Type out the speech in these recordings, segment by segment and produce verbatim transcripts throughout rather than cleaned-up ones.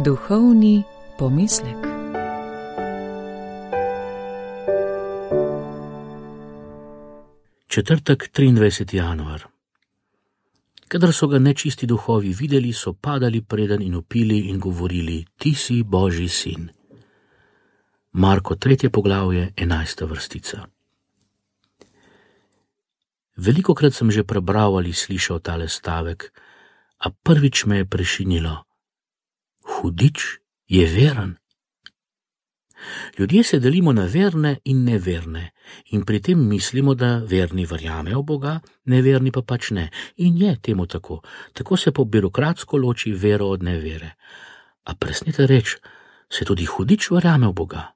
Duhovni pomislek. Četrtek, triindvajseti januar. Kadar so ga nečisti duhovi videli, so padali preden in vpili in govorili: Ti si Božji sin. Marko tretje poglavje, enajsta vrstica. Velikokrat sem že prebral ali slišal tale stavek, a prvič me je prešinilo: hudič je veren. Ljudje se delimo na verne in neverne in pri tem mislimo, da verni verjamejo v Boga, neverni pa pač ne. In je temu tako. Tako se po birokratsko loči vero od nevere. A presnete reč, se tudi hudič verjame v Boga.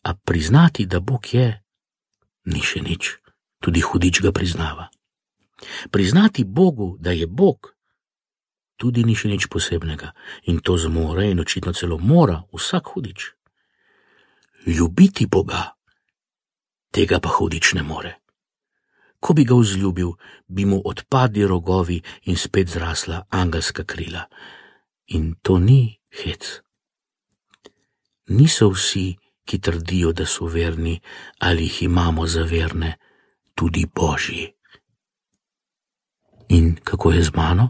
A priznati, da Bog je, ni še nič. Tudi hudič ga priznava. Priznati Bogu, da je Bog, tudi ni še nič posebnega. In to zmore in očitno celo mora vsak hudič. Ljubiti Boga, tega pa hudič ne more. Ko bi ga vzljubil, bi mu odpadli rogovi in spet zrasla angelska krila. In to ni hec. Niso vsi, ki trdijo, da so verni ali jih imamo za verne, tudi Božji. In kako je z mano?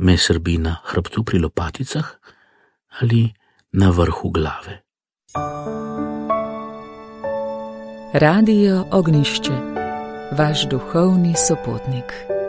Me srbi na hrbtu pri lopaticah ali na vrhu glave? Radio Ognjišče, vaš duhovni sopotnik.